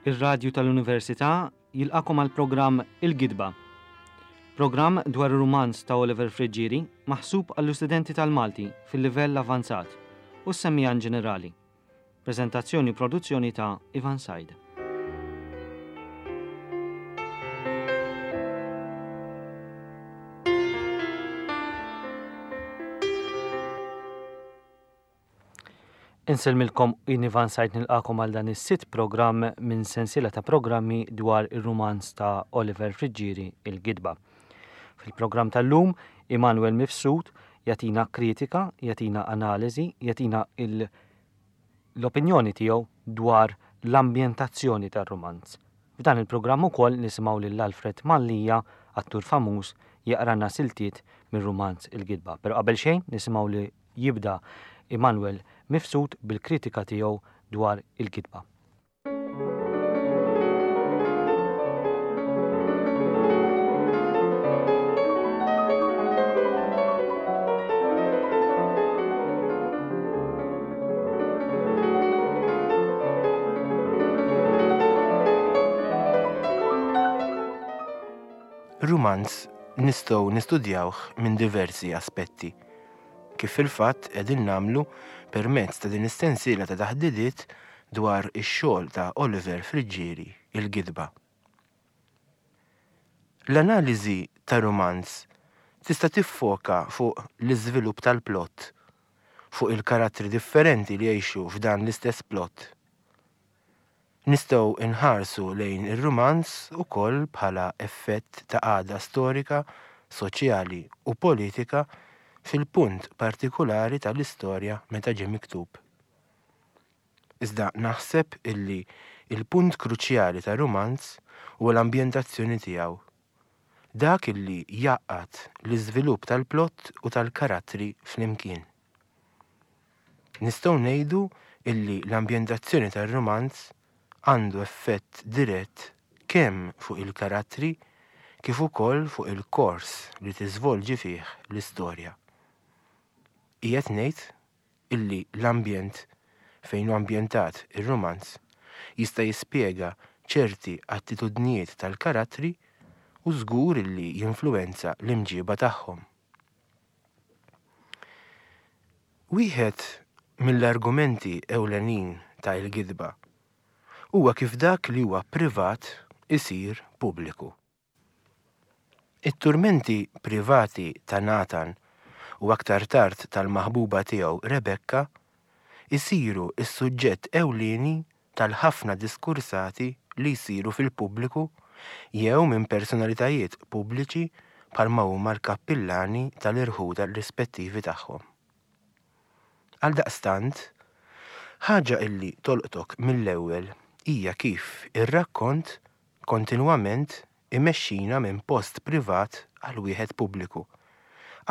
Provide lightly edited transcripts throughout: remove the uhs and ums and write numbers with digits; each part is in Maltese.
Ir-Radju tal-Università jilqagħkom għall-programm Il-Gidba. Programm dwar ir-rumanz ta' Oliver Friggieri maħsub għall-istudenti tal-Malti fil-livell avvanzat u s-semmiegħa inġenerali. Preżentazzjoni u produzzjoni ta' Ivan Said. Insellmilkom jien Ivan Said nilqakom għal dan is-sitt programm minn sensiela ta' programmi dwar ir-rumanz ta' Oliver Friggieri Il-Gidba. Fil-programm tal-lum, Immanuel Mifsud jagħtina kritika, jagħtina analiżi, jagħtina l-opinjoni tiegħu dwar l-ambjentazzjoni tar-rumanz. F'dan il-programm ukoll nisimgħu lil Alfred Mallia, attur famuż, jaqralna siltiet mir-rumanz Il-Gidba. Però qabel xejn nisimgħu li jibda Immanuel Mifsud bil-kritika tiegħu dwar Il-Gidba. Rumanz nistgħu nistudjawh minn diversi aspetti, kif fil-fatt qegħdin nagħmlu permezz ta' din is-sensiela ta' taħdidiet dwar ix-xogħol ta' Oliver Friggieri, Il-Gidba. L-analiżi ta' rumanz tista' tiffoka fuq l-iżvilupp tal-plott, fuq il-karattri differenti li jgħixu f'dan l-istess plott. Nistgħu nħarsu lejn ir-rumanz ukoll bħala effett ta' qagħda storika, soċjali u politika fil-punt partikulari tal-istorja meta ġie miktub. Iżda naħseb illi l-punt kruċjali ta' rumanz huwa l-ambjentazzjoni tiegħu. Dak illi jgħaqqad l-iżvilupp tal-plott u tal-karattri flimkien. Nistgħu ngħidu illi l-ambjentazzjoni tar-rumanz għandu effett dirett kemm fuq il-karattri kif ukoll fuq il-kors li tiżvolġi fih l-istorja. Qiegħed ngħid illi l-ambjent fejn hu ambjentat ir-rumanz jista' jispjega ċerti attitudnijiet tal-karattri u żgur illi jinfluwenza l-imġieba tagħhom. Wieħed mill-argumenti ewlenin ta' Il-Gidba huwa kif dak li huwa privat isir pubbliku. It-turmenti privati ta' Nathan u aktar tard tal-maħbuba tiegħu Rebekka jsiru s-suġġett ewlieni tal-ħafna diskursati li jsiru fil-pubbliku jew minn personalitajiet pubbliċi bħalma huma l-kappillani tal-irħula rispettivi tagħhom. Għaldaqstant, ħaġa illi tolqtok mill-ewwel hija kif ir-rakkont kontinwament imexxina minn post privat għal wieħed pubbliku,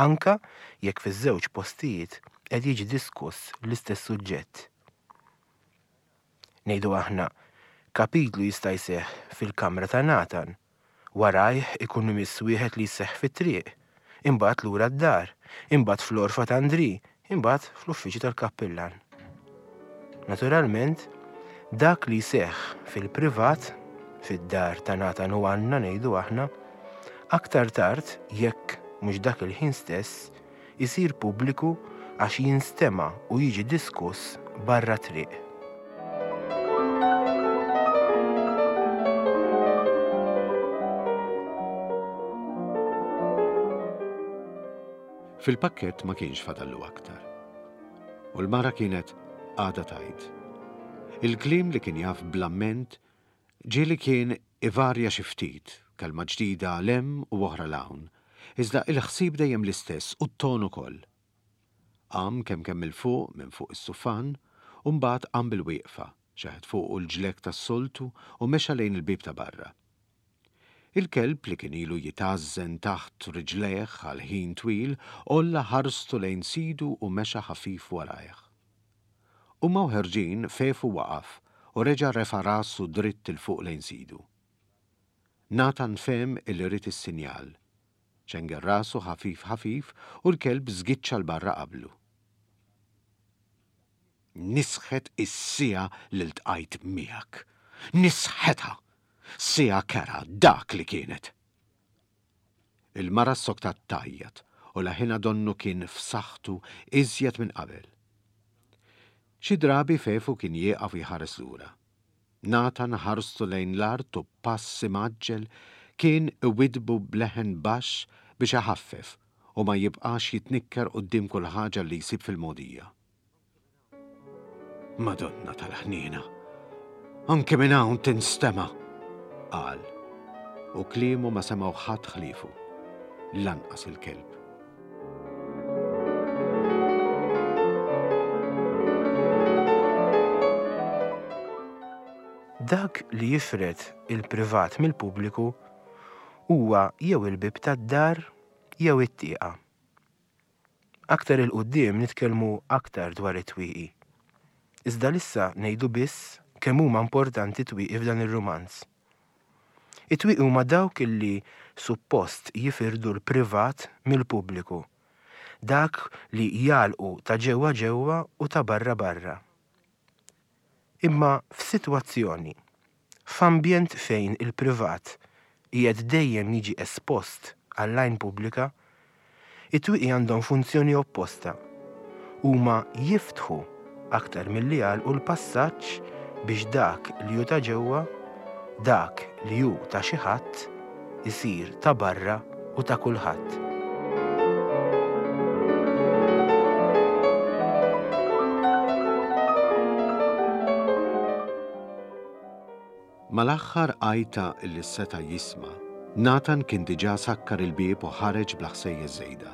anke jekk fiż-żewġ postijiet qed jiġi diskuss l-istess suġġett. Ngħidu aħna, kapitlu jista' jseħħ fil-kamra ta' Nathan, warajh ikun imiss wieħed li jseħħ fit-triq, imbagħad lura d-dar, imbagħad fl-għorfa ta' Andrì, imbagħad fl-uffiċċju tal-kappillan. Naturalment, dak li jseħħ fil-privat, fid-dar ta' Nathan u Anna ngħidu aħna, aktar tard, jekk mhux dak il-ħin stess, isir pubbliku għax jinstema' u jiġi diskuss barra t-triq. Fil-pakkett ma kienx fadallu aktar. U l-mara kienet għadha tgħid. Il-kliem li kien jaf bl-amment ġieli kien ivarja xi ftit, kelma ġdida 'l hemm u oħra 'l hawn, iżda il-ħsieb dejjem l-istess u t-ton ukoll. Qam kemm kemm 'il fuq minn fuq is-sufan u mbagħad qam bil-wieqfa, xeħet fuqu l-ġlekk tas-soltu u mexa lejn il-bieb ta' barra. Il-kelb li kien ilu jitgħażżen taħt riġlejh għal ħin twil għolla ħarstu lejn sidu u mexa ħafif warajh. Huma u ħerġin Fefu waqaf u reġa' refa' rasu dritt 'il fuq lejn sidu. Nathan fehem illi ried is-sinjal. Ċenger rasu ħafif ħafif u l-kelb żgiċċa 'l barra qablu. Nisħet is-siegħa li ltqajt miegħek. Nisħetha! Siegħa kerha dak li kienet! Il-mara ssoktat tgħajjat u leħinha donnu kien f'saħħtu iżjed minn qabel. Xi drabi Fefu kien jieqaf u jħares lura. Nathan ħarstu lejn l-art u b'pass imgħaġġel kien iwiddbu b'leħen baxx biex iħaffef u ma jibqax jitnikker quddiem kull ħaġa li jsib fil-mogħdija. Madonna tal-ħniena! Anki minn hawn tinstema'! qal, u kliemu ma semgħu ħadd ħliefu, lanqas il-kelb. Dak li jifred il-privat mill-pubbliku huwa jew il-bieb tad-dar jew it-tieqa. Aktar 'il quddiem nitkellmu aktar dwar it-twieqi. Iżda l'issa ngħidu biss kemm huma importanti t-twieqi f'dan ir-rumanz. It-twieqi huma dawk illi suppost jifirdu l-privat mill-pubbliku, dak li jagħlqu ta' ġewwa ġewwa u ta' barra barra. Imma f'sitwazzjoni, f'ambjent fejn il-privat qiegħed dejjem jiġi espost għall-għajn pubblika, it-twieqi għandhom funzjoni opposta. Huma jiftħu aktar milli jagħlqu l-passaġġ biex dak li hu ta' ġewwa, dak li hu ta' xi ħadd, isir ta' barra u ta' kulħadd. Mal-aħħar għajta li seta' jisma', Nathan kien diġà sakkar il-bieb u ħareġ bla ħsejjes żejda.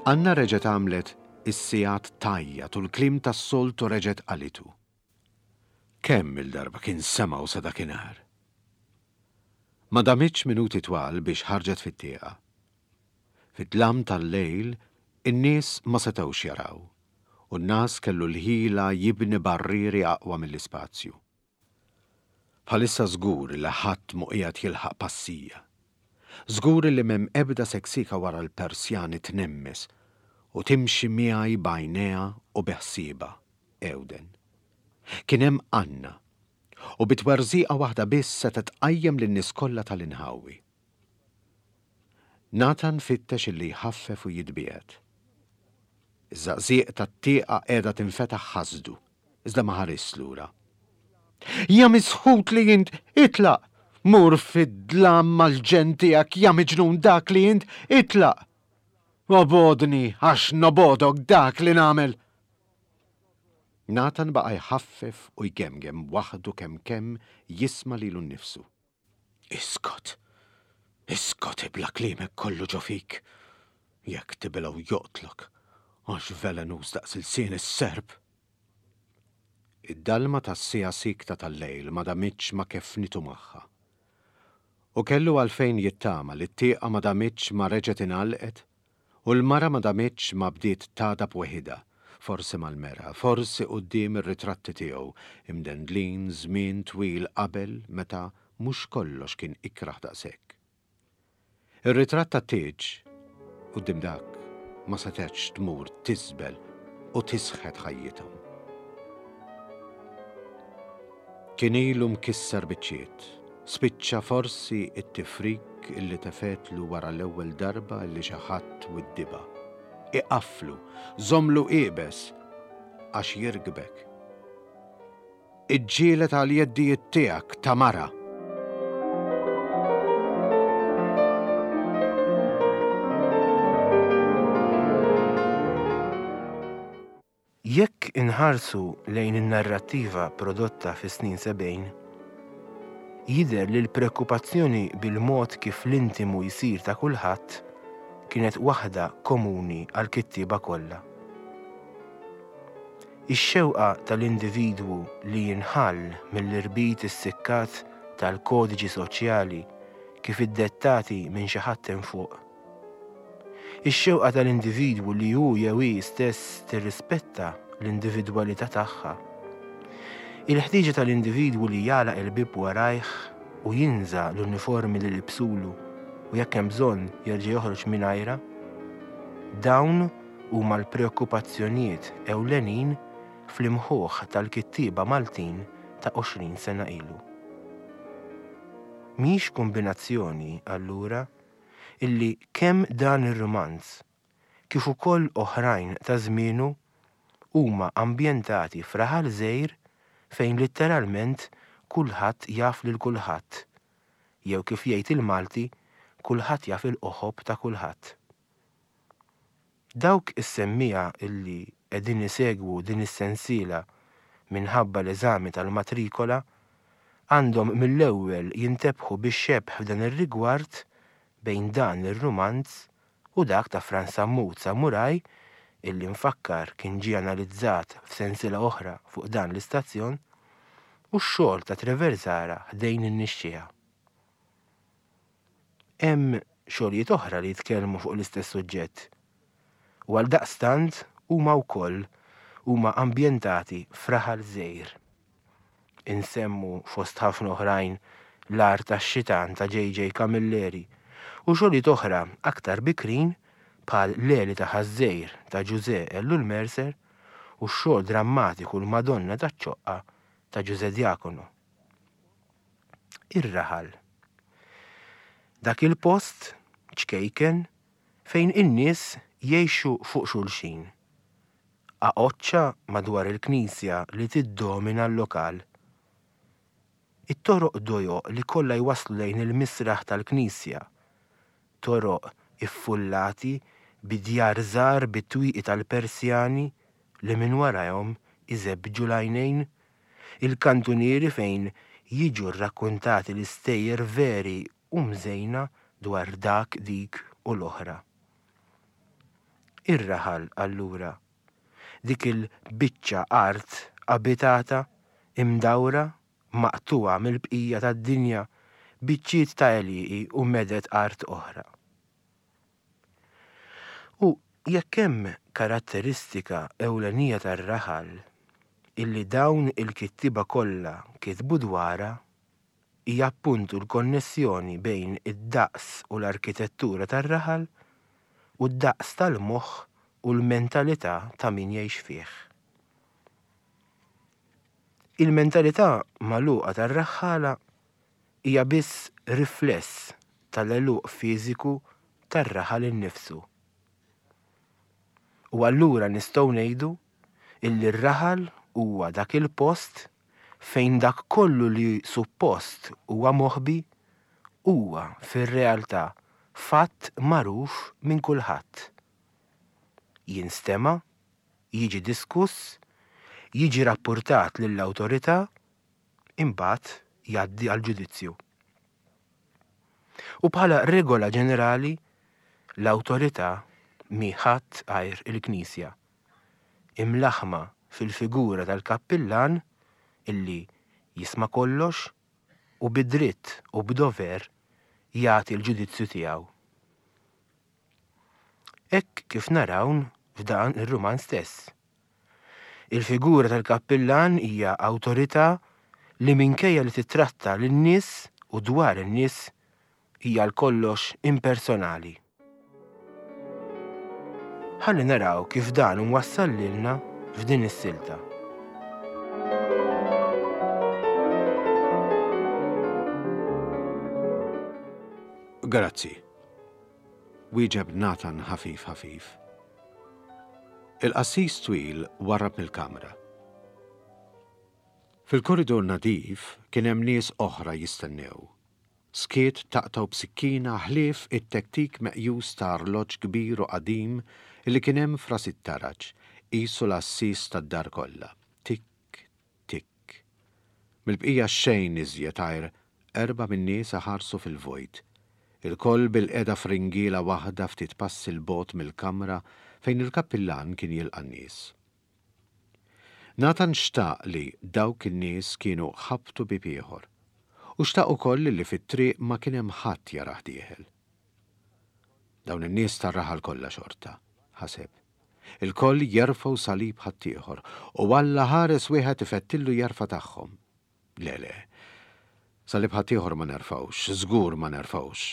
Anna reġgħet għamlet is-sigħat tgħajjat u l-kliem tas-soltu reġgħet qalitu. Kemm-il darba kien semgħu sa dakinhar. Ma damitx minuti twal biex ħarġet fit-tieqa. Fid-dlam tal-lejl in-nies ma setgħux jaraw u n-ngħas kellu l-ħila jibni barrieri aqwa mill-ispazju. Bħalissa żgur li ħadd mhu qiegħed jilħaq passija. Żgur li m'hemm ebda seksika wara l-persjani tnemmes u timxi miegħi b'għajnejha u bi ħsiebha, Ewden. Kien hemm Anna, u bi twerżiqa waħda biss setgħet tqajjem lin-nies kollha tal-inħawi. Nathan fittex illi jħaffef u jitbiegħed. Iż-żaqżieq tat-tieqa qiegħda tinfetaħ ħasdu, iżda ma ħarisx lura. Ja misħut li int! Itlaq! Mur fid-dlam mal-ġenn tiegħek, ja miġnun dak li int! Itlaq! Obgħodni għax nobgħodok dak li nagħmel! Nathan baqa' jħaffef u jgemgem waħdu kemm kemm jisma' lilu nnifsu. Iskot! Iskot ibla' kliemek kollu ġo fik! Jekk tibilgħu joqtlok, għax velenuż daqs ilsien is-serp! Id-dalma tas-siegħa siekta tal-lejl ma damitx ma keffnitu magħha. U kellu għalfejn jittama li t-tieqa ma damitx ma reġgħet ingħalqet U l-mara ma damitx ma bdiet tagħdab weħidha, forsi mal-mera, forsi quddiem ir-ritratti tiegħu, imdendlin żmien twil qabel meta mhux kollox kien ikrah daqshekk. Ir-ritratt tat-tieġ, quddiem dak, ma setgħetx tmur tiżbel u tisħet ħajjithom. Kien ilu mkisser biċċiet. Spiċċa forsi t-tifrik illi tefgħetlu wara l-ewwel darba illi xi ħadd widdibha. Iqafflu, żommlu iebes, għax jirkbek. Iġġieled għall-jeddijiet tiegħek ta' mara! Jekk inħarsu lejn in-narrattiva prodotta fis-snin 70, jidher li l-preokkupazzjoni bil-mod kif l-intimu jsir ta' kulħadd kienet waħda komuni għall-kittieba kollha. Ix-xewqa tal-individwu li jinħall mill-irbit issikkat tal-kodiċi soċjali kif iddettati minn xi ħadd hemm fuq, Ix-xewqa tal-individwu li hu jew hi stess tirrispetta l-individwalità tagħha. Il-ħtieġa tal-individwu li jagħlaq il-bieb warajh u jinża' l-uniformi li libsulu u jekk hemm bżonn jerġa' joħroġ mingħajrha. Dawn huma l-preokkupazzjonijiet ewlenin fl-imħuħ tal-kittieba Maltin. ta' 20 sena ilu. Mhijiex kumbinazzjoni, allura, illi kemm dan ir-rumanz kif ukoll oħrajn ta' żmienu huma ambjentati f'raħal żgħir fejn litteralment kulħadd jaf lil kulħadd, jew kif jgħid il-Malti, kulħadd jaf il-qoħob ta' kulħadd. Dawk is-semmiegħa illi qegħdin isegwu din is-sensiela minħabba l-eżami tal-matrikola għandhom mill-ewwel jintebħu bix-xebh f'dan ir-rigward bejn dan ir-rumanz u dak ta' Frans Sammut Samuraj illi nfakkar kien ġie analizzat f'sensiela oħra fuq dan l-istazzjon, u x-xogħol ta' Trevor Zahra ħdejn in-nixxiegħa. Hemm xogħlijiet oħra li jitkellmu fuq l-istess suġġett u għaldaqstant huma wkoll huma ambjentati f'raħal żgħir. Insemmu fost ħafna oħrajn L-Għar tax-Xitan ta' JJ Camilleri u xogħlijiet oħra aktar bikrin bħal L-Għeli ta' Ħaż-Żgħir ta' Ġużè Ellul Mercer u x-xogħol drammatiku L-Madonna taċ-Ċoqqa ta' Ġużè Diacono. Ir-raħal. Dak il-post ċkejken fejn in-nies jgħixu fuq xulxin. Qaqoċċa madwar il-knisja li tiddomina l-lokal. It-toroq dojoq li kollha jwasslu lejn il-misraħ tal-knisja. Toroq iffullati bi djar żgħar bi twieqi tal-Persjani li minn warajhom iżebbġu l-għajnejn Il-kantunieri fejn jiġu rrakkuntati l-istejjer veri u mżejna dwar dak, dik u l-oħra. Ir-raħal, allura. Dik il-biċċa art abitata, imdawra, maqtugħa mill-bqija tad-dinja, biċċiet ta' għelieqi u meded art oħra. U jekk hemm karatteristika ewlenija tar-raħal illi dawn il-kittieba kollha kitbu dwarha, hija appuntu l-konnessjoni bejn id-daqs u l-arkitettura tar-raħal u d-daqs tal-moħħ u l-mentalità ta' min jgħix fih. Il-mentalità magħluqa tar-raħħala hija biss rifless tal-għeluq fiżiku tar-raħal innifsu. U allura nistgħu ngħidu illi r-raħal huwa dak il-post fejn dak kollu li suppost huwa moħbi huwa fir-realtà fatt magħruf minn kulħadd. Jinstema', jiġi diskuss, jiġi rappurtat lill-awtorità imbagħad jgħaddi għall-ġudizzju. U bħala regola ġenerali, l-awtorità mhi ħadd għajr il-Knisja, imlaħħma fil-figura tal-kappillan illi jisma' kollox u bi dritt u b'dover jagħti l-ġudizzju tiegħu. Hekk kif narawn f'dan ir-rumanz stess. Il-figura tal-kappillan hija awtorità li minkejja li tittratta lin-nies u dwar in-nies hija għal kollox impersonali. Ħalli naraw kif dan imwassal lilna f'din is-silta. Grazzi. Wieġeb Nathan ħafif ħafif. Il-qassis twil warrab mill-kamra. Fil-koridur nadif kien hemm nies oħra jistennew. Skiet taqtgħu b'sikkina ħlief it-tektik meqjus ta' arloġġ kbir u qadim li kien hemm f'ras it-taraġ, qisu l-għassies tad-dar kollha. Tikk, tikk. Mill-bqija xejn iżjed għajr erbgħa min-nies iħarsu fil-vojt. Ilkoll bilqiegħda f'ringiela waħda ftit passi 'l bogħod mill-kamra fejn il-kappillan kien jilqa' n-nies. Nathan xtaq li dawk in-nies kienu ħabtu bieb ieħor. U xtaq ukoll li fit-triq ma kien hemm ħadd jarah dieħel. Dawn in-nies tar-raħal kollha xorta, ħaseb. Ilkoll jerfgħu salib ħaddieħor, u Alla ħares wieħed ifettillu jerfa' tagħhom. Le, le. Salib ħaddieħor ma nerfgħux, żgur ma nerfgħux.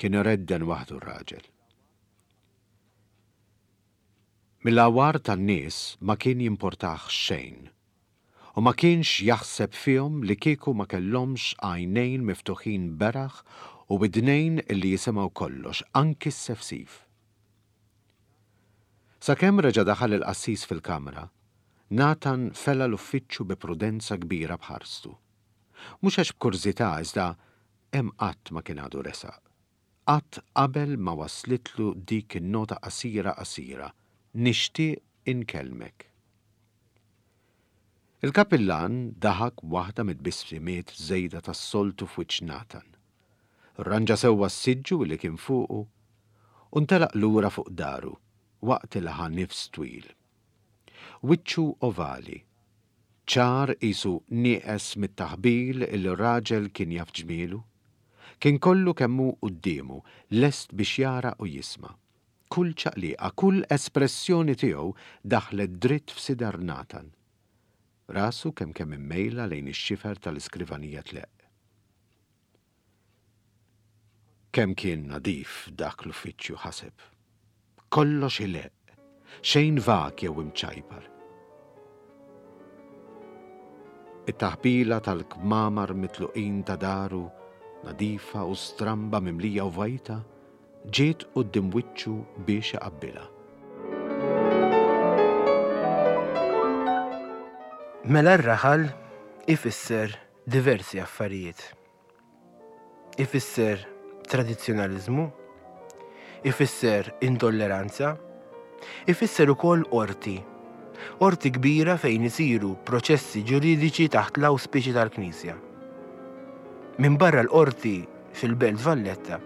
Kien iredden waħdu r-raġel. Mill-għawar tan-nies ma kien jimportah xejn. U ma kienx jaħseb fihom li kieku ma kellhomx għajnejn miftuħin beraħ u widnejn li jisimgħu kollox, anki s-sefsif. Sakemm reġa' daħal il-qassis fil-kamra, Nathan fela l-uffiċċju bi prudenza kbira b'ħarstu. Mhux għax b'kurżità iżda hemm qatt ma kien għadu resaq. Qatt qabel ma waslitlu dik in-nota qasira qasira, Nixtieq inkellmek. Il-kappillan daħak waħda mit-tbissimiet żejda tas-soltu f'wiċċ Nathan. Rranġa sewwa s-siġġu li kien fuqu u ntelaq lura fuq daru waqt li ħa nifs twil. Wiċċu ovali, ċar qisu nieqes mit-taħbil li r-raġel kien jaf ġmielu, kien kollu kemm hu quddiemu, lest biex jara u jisma'. Kull ċaqliqa, kull espressjoni tiegħu daħlet dritt f'sidar Nathan. Rasu kemm kemm immejla lejn ix-xifer tal-iskrivanija tleqq. Kemm kien nadif dak l-uffiċċju ħaseb. Kollox ileqq, xejn vag jew imċajpar. It-taħbila tal-kmamar mitluqin ta' daru, nadifa u stramba mimlija u vojta, ġiet quddiem wiċċu biex iqabbilha. Mela r-raħal ifisser diversi affarijiet. Ifisser tradizzjonaliżmu, ifisser intolleranza, ifisser ukoll qorti. Qorti kbira fejn isiru proċessi ġuridiċi taħt l-awspiċi tal-Knisja. Minbarra l-qorti fil-Belt Valletta,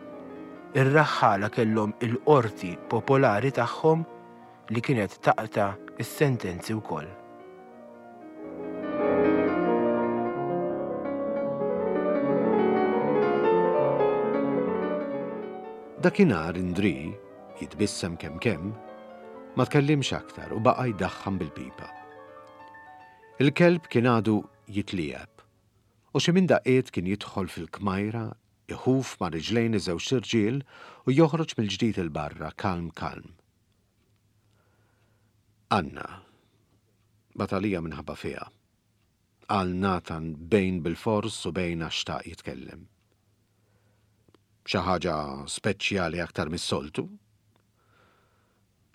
ir-raħħala kellhom il-qorti popolari tagħhom li kienet taqta' s-sentenzi wkoll. Dakinhar Indrì, jitbissem kemm kemm, ma tkellimx aktar u baqa' jdaħħan bil-pipa. Il-kelb kien għadu jitliegħeb u xi minn daqqiet kien jidħol fil-kmajra, iħuf ma' riġlejn iż-żewġt irġiel u joħroġ mill-ġdid 'il barra kalm kalm. Anna, bagħat għalija minħabba fiha, qal Nathan bejn bilfors u bejn għax xtaq jitkellem. Xi ħaġa speċjali aktar mis-soltu?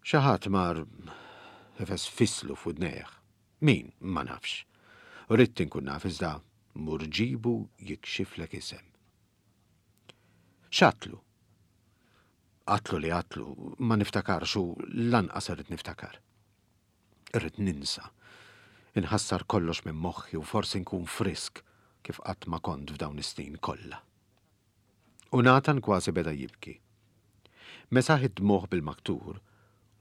Xi ħadd mar ifesfislu f'widnejh. Min, ma nafx. Ridt inkun naf iżda mur ġibu jikxiflek isem. X'għadtlu? Għadtlu li għadtlu, ma niftakarx u lanqas irrid niftakar. Irrid ninsa. Inħassar kollox minn moħħi u forsi nkun frisk kif qatt ma kont f'dawn is-snin kollha. U Nathan kważi beda jibki. Mesaħ id-dmugħ bil-maktur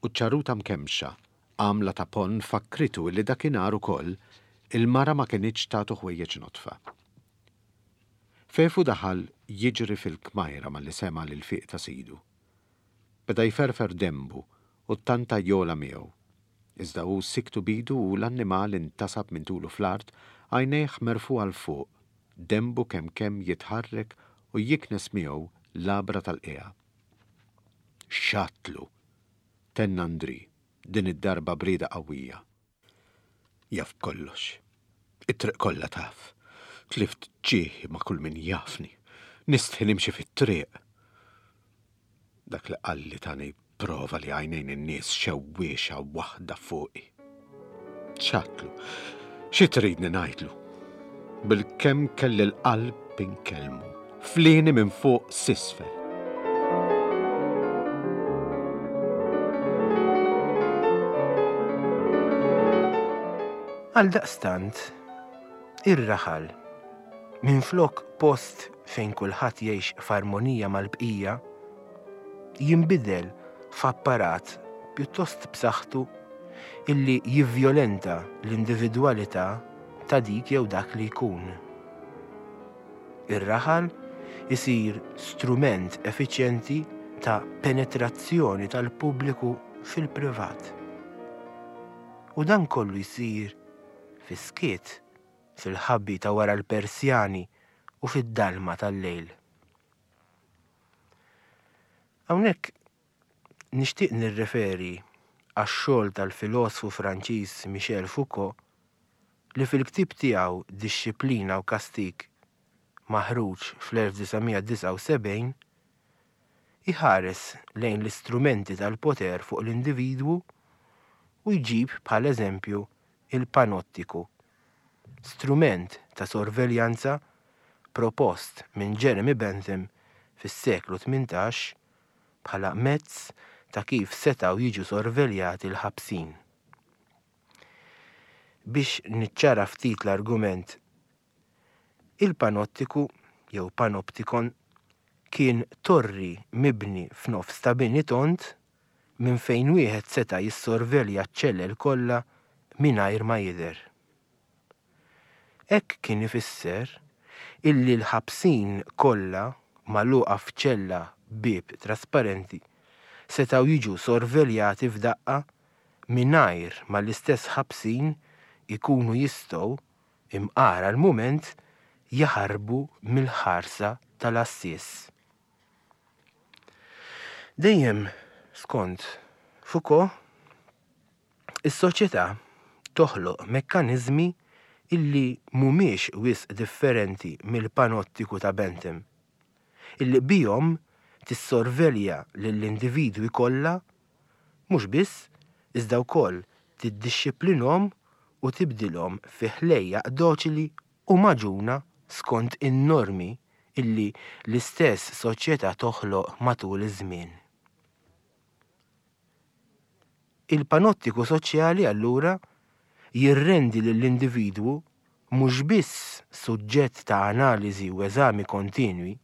u ċ-ċaruta mkemmxa, għamla ta' ponn fakkritu illi dakinhar ukoll il-mara ma kinitx tagħtu ħwejjeġ nodfa. Fefu daħal jiġri fil-kmajra malli sema' l-ilfiq ta' sidu. Beda jferfer denbu u ttanta jogħla miegħu. Iżda hu sikktu b'idu u l-annimal intasab minn tulu fl-art, għajnejh merfugħa 'l fuq, denbu kemm kemm jitħarrek u jiknes miegħu l-għabra tal-qiegħa. X'għadtlu? tenna Andrì, din id-darba b'rieda qawwija. Jaf b'kollox. It-triq kollha taf. Tlift ġieħi ma' kull min jafni. Nistħi nimxi fit-triq. Dak li qalli tani prova li għajnejn in-nies xewwiexa waħda fuqi. X'għadtlu? Xi tridni ngħidlu? Bilkemm kelli l-qalb inkellmu. Flieni minn fuq s'isfel. Għaldaqstant, ir-raħal, minflok post fejn kulħadd jgħix f'armonija mal-bqija, jinbidel f'apparat pjuttost b'saħħtu illi jivvjolenta l-individwalità ta' dik jew dak li jkun. Ir-raħal isir strument effiċjenti ta' penetrazzjoni tal-pubbliku fil-privat. U dan kollu jsir fis-skiet, fil-ħabi ta' wara l-persjani u fid-dalma tal-lejl. Hawnhekk nixtieq nirreferi għax-xogħol tal-filosfu Franċiż Michel Foucault. li fil-ktieb tiegħu Dixxiplina u Kastig, maħruġ fl-1979, iħares lejn l-istrumenti tal-poter fuq l-individwu u jġib bħala eżempju il-panottiku, strument ta' sorveljanza propost minn Jeremy Bentham fis-seklu 18 bħala mezz ta' kif setgħu jiġu sorveljati l-ħabsin. Biex niċċara ftit l-argument, il-panottiku jew panoptikon kien torri mibni f'nofs ta' bini tond minn fejn wieħed seta' jissorvelja ċ-ċellel kollha mingħajr ma jidher. Hekk kien ifisser illi l-ħabsin kollha magħluqa f'ċella b'bieb trasparenti setgħu jiġu sorveljati f'daqqa mingħajr ma l-istess ħabsin ikunu jistgħu, imqar għal mument, jaħarbu mill-ħarsa tal-għassies. Dejjem skont Foucault, Is-soċjetà toħloq mekkaniżmi illi mhumiex wisq differenti mill-panottiku ta' Bentham, illi bihom tissorvelja lill-individwi kollha, mhux biss, iżda wkoll tiddixxiplinhom u tibdilhom fi ħlejjaq doċili u magħġuna skont in-normi illi l-istess soċjetà toħloq matul iż-żmien. Il-panottiku soċjali allura jirrendi lill-individwu mhux biss suġġett ta' analiżi u eżami kontinwi,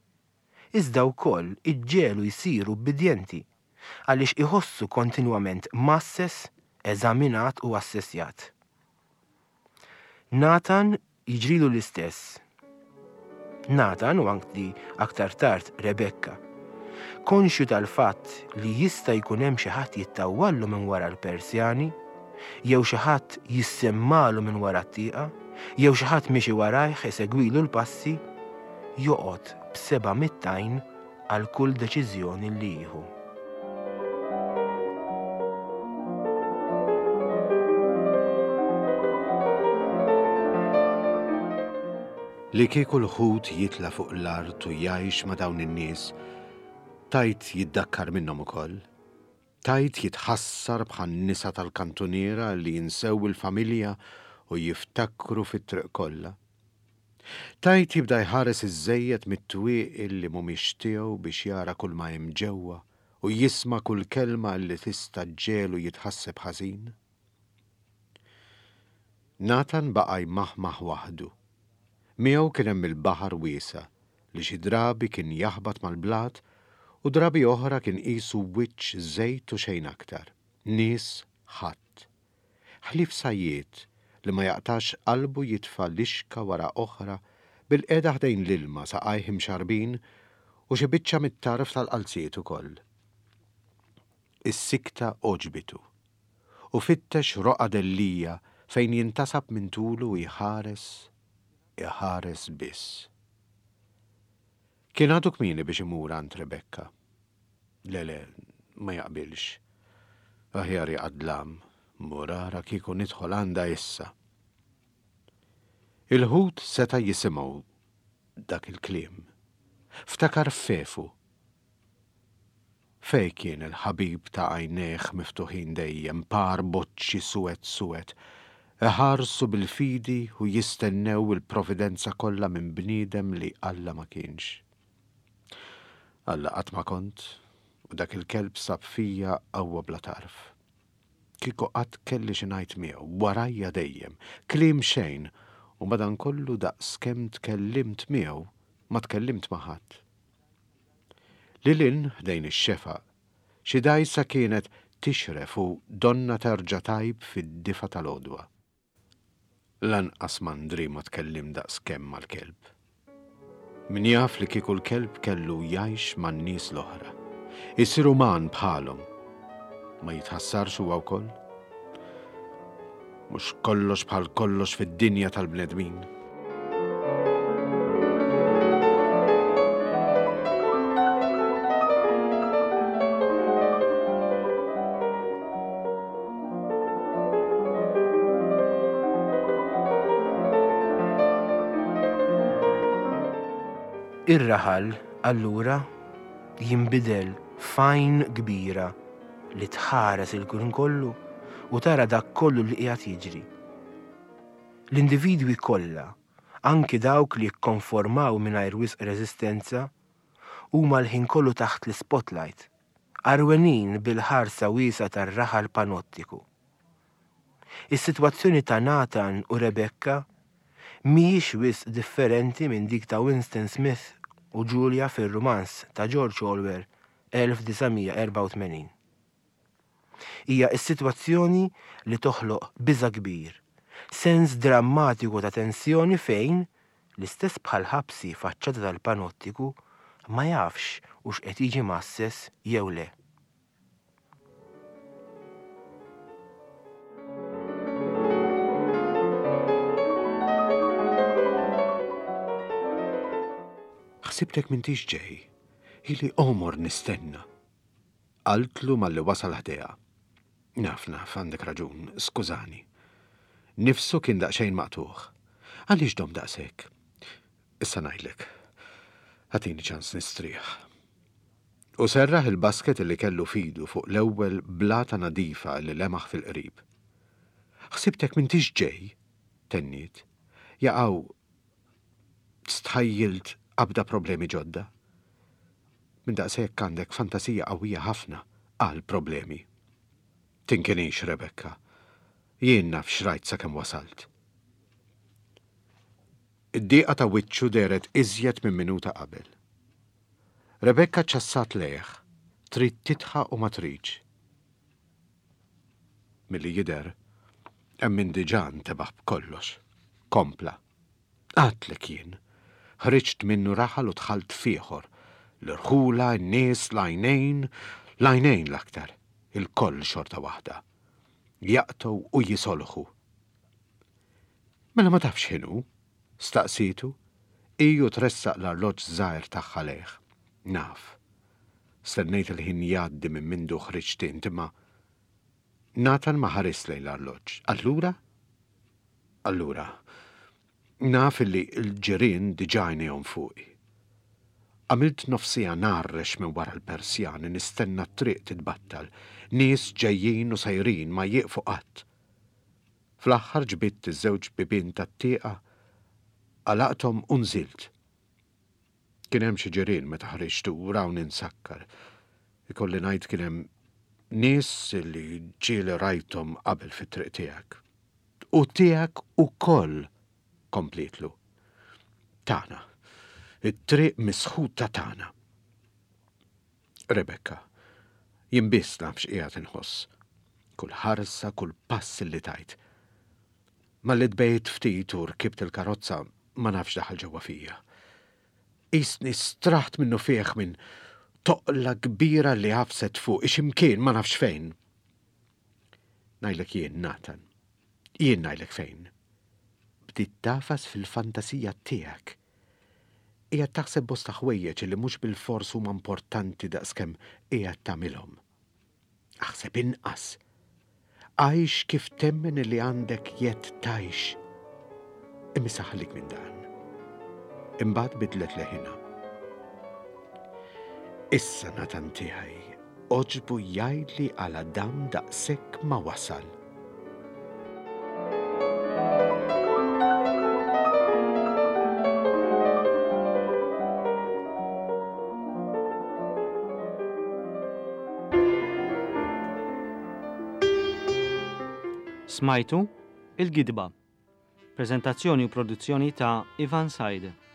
iżda wkoll iġġegħlu jsir ubbidjenti għaliex iħossu kontinwament mgħasses, eżaminat u assessjat. Nathan jiġrilu l-istess. Nathan u anki aktar tard Rebekka. Konxju tal-fatt li jista' jkun hemm xi ħadd jittawwallu minn wara l-persjani, jew xi ħadd jissemmalu minn wara t-tieqa, jew xi ħadd miexi warajh isegwilu l-passi, joqgħod b'seba' għajn għal kull deċiżjoni li jieħu. Li kieku l-ħut jitla' fuq l-art u jgħix ma' dawn in-nies, tgħid jiddakkar minnhom ukoll? Tgħid jitħassar bħan-nisa tal-kantuniera li jinsew il-familja u jiftakru fit-triq kollha? Tgħid jibda jħares iżżejjed mit-twieqi li mhumiex tiegħu biex jara kulma hemm ġewwa u jisma' kull kelma li tista' ġġegħlu jitħasseb ħażin? Nathan baqa' jmaħmaħ waħdu. Miegħu kien hemm il-baħar wiesa' li xi drabi kien jaħbat mal-blat u drabi oħra kien qisu wiċċ żejt u xejn aktar. Nies ħadd. Ħlief sajjied li ma jaqtax qalbu jitfa' lixka wara oħra bilqiegħda ħdejn l-ilma saqajh imxarrbin u xi biċċa mit-tarf tal-qalziet ukoll. Is-sikta għoġbitu u fittex roqgħa dellija fejn jintasab minn tulu u jħares, iħares biss. Kien għadu kmieni biex imur għand Rebecca. Le, le, ma jaqbilx. Aħjar jaqa' d-dlam, mur ara kieku nidħol għandha issa. Il-ħut seta' jisimgħu dak il-kliem. Ftakar f'Fefu. Fejn kien il-ħabib ta' għajnejh miftuħin dejjem, par boċċi suwed suwed, iħarsu bil-fidi u jistennew il-providenza kollha minn bniedem li Alla ma kienx. Alla qatt ma kont, u dak il-kelb sab fija qawwa bla tarf. Kieku qatt kelli xi ngħid miegħu, warajja dejjem, kliem xejn, u madankollu daqs kemm tkellimt miegħu ma tkellimt ma' ħadd. Lil hinn, ħdejn ix-xefaq, xi dgħajsa kienet tixref u donnha terġa' tgħib fid-difa tal-għodwa. Lanqas m'André ma tkellimt daqs kemm mal-kelb. Min jaf li kieku l-kelb kellu jgħix man-nies l-oħra, isir uman bħalhom, ma jitħassarx huwa wkoll? Mhux kollox bħal kollox fid-dinja tal-bnedmin. Ir-raħal, allura, jinbidel f'għajn kbira li tħares il-ħin kollu u tara dak kollu li qiegħed jiġri. L-individwi kollha, anki dawk li jikkonformaw mingħajr wisq reżistenza, huma l-ħin kollu taħt l-ispotlight, għarwenin bil-ħarsa wiesgħa tar-raħal panottiku. Is-sitwazzjoni ta' Nathan u Rebecca mhijiex wisq differenti minn dik ta' Winston Smith u Julia fir-rumanz ta' George Orwell 1984. Hija s-sitwazzjoni li toħloq biża' kbir, sens drammatiku ta' tensjoni fejn, l-istess bħal ħabsi faċċata tal-panottiku, ma jafx hux qed jiġi mgħasses jew le. Ħsibtek m'intix ġej. Ili għomor nistenna. Qaltlu malli wasal ħdejha. Naf, naf, għandek raġun, skużani. Nifsu kien daqsxejn maqtugħ. Għaliex domt daqshekk? Issa ngħidlek. Agħtini ċans nistrieħ. U serraħ il-basket li kellu f'idu fuq l-ewwel blata nadifa li lemaħ fil-qrib. Ħsibtek m'intix ġej, tenniet. Jaqaw stħajjilt qabda problemi ġodda. Minn daqshekk għandek fantasija qawwija ħafna għal problemi. Tinkinix, Rebecca. Jien naf x'rajt sakemm wasalt. Id-dieqa ta' wiċċu dehret iżjed minn minuta qabel. Rebecca ċassat lejh, trid tidħaq u ma tridx. Milli jidher, hemm min diġà ntebaħ b'kollox. Kompla. Għadtlek jien. Ħriġt minnu raħal u dħalt f'ieħor. L-irħula, in-nies, l-għajnejn, l-għajnejn l-aktar. Ilkoll xorta waħda. Jaqtgħu u jisolħu. Mela ma tafx x'inhu? staqsietu, hi u tressaq l-arloġġ żgħir tagħha lejh. Naf. Stennejt il-ħin jgħaddi minn mindu ħriġt int, imma Nathan ma ħarisx lejn l-arloġġ. Allura? Allura, naf illi l-ġirien diġà għajnejhom fuqi. Għamilt nofs siegħa ngħarrex minn wara l-persjani nistenna t-triq titbattal. Nies ġejjin u sejrin ma jieqfu qatt. Fl-aħħar ġbidt iż-żewġ bibien tat-tieqa, għalaqthom u nżilt. Kien hemm xi ġirien meta ħriġt u rawni nsakkar. Ikolli ngħid kien hemm nies li ġieli rajthom qabel fit-triq tiegħek. U tiegħek ukoll, komplietlu. Tagħna. It-triq misħuta tagħna. Rebecca, Jien biss naf x'qiegħed inħoss. Kull ħarsa, kull pass li tajt. Malli tbegħidt ftit u rkibt il-karozza ma nafx daħal ġewwa fija. Qisni straħt minnufih minn toqla kbira li għafset fuqi xi mkien ma nafx fejn. Ngħidlek jien, Nathan. Jien ngħidlek fejn. Bdiet tagħfas fil-fantasija tiegħek. Qiegħed taħseb bosta ħwejjeġ li mhux bilfors huma importanti daqskemm qiegħed tagħmilhom. Aħseb inqas. Għix kif temmen li għandek jedd tgħix. Imma issa ħallik minn dan. Imbagħad bidlet leħinha. Issa Nathan tiegħi għoġbu jgħidli għala dam daqshekk ma wasal. Smajtu Il-Gidba. Preżentazzjoni u produzzjoni ta' Ivan Said.